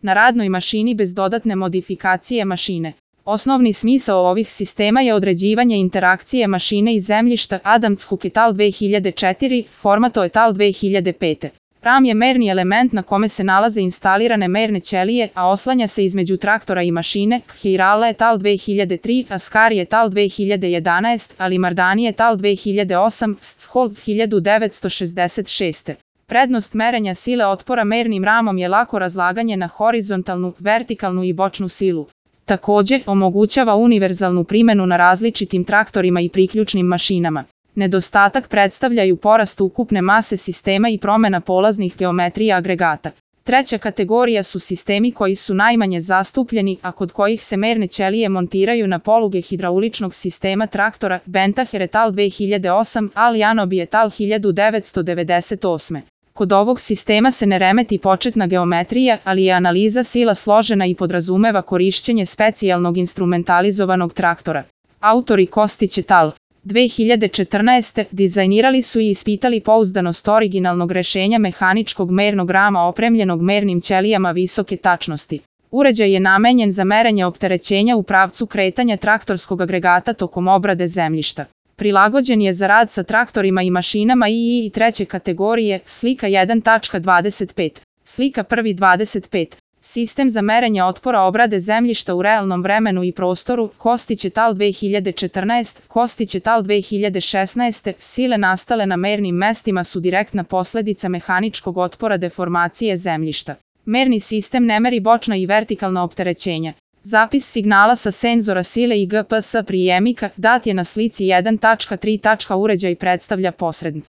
na radnoj mašini bez dodatne modifikacije mašine. Osnovni smisao ovih sistema je određivanje interakcije mašine i zemljišta. Adams Hook et al. 2004, Formato et al. 2005. RAM je merni element na kome se nalaze instalirane merne ćelije, a oslanja se između traktora i mašine. Hirala et al. 2003, Ascari et al. 2011, Alimardani et al. 2008, Scholz 1966. Prednost merenja sile otpora mernim ramom je lako razlaganje na horizontalnu, vertikalnu i bočnu silu. Također, omogućava univerzalnu primjenu na različitim traktorima i priključnim mašinama. Nedostatak predstavljaju porast ukupne mase sistema i promjena polaznih geometrija agregata. Treća kategorija su sistemi koji su najmanje zastupljeni, a kod kojih se merne ćelije montiraju na poluge hidrauličnog sistema traktora. Bentaher et al. 2008, Al-Janobi et al. 1998. Kod ovog sistema se ne remeti početna geometrija, ali je analiza sila složena i podrazumeva korišćenje specijalnog instrumentalizovanog traktora. Autori Kostić et al. 2014. dizajnirali su i ispitali pouzdanost originalnog rešenja mehaničkog mernog rama opremljenog mernim ćelijama visoke tačnosti. Uređaj je namenjen za merenje opterećenja u pravcu kretanja traktorskog agregata tokom obrade zemljišta. Prilagođen je za rad sa traktorima i mašinama II i treće kategorije. Slika 1.25. Slika 1.25. Sistem za merenje otpora obrade zemljišta u realnom vremenu i prostoru. Kostić et al. 2014, Kostić et al. 2016. Sile nastale na mernim mestima su direktna posledica mehaničkog otpora deformacije zemljišta. Merni sistem ne meri bočna i vertikalna opterećenja. Zapis signala sa senzora sile i GPS prijemnika dat je na slici 1.3. Uređaj predstavlja posrednik.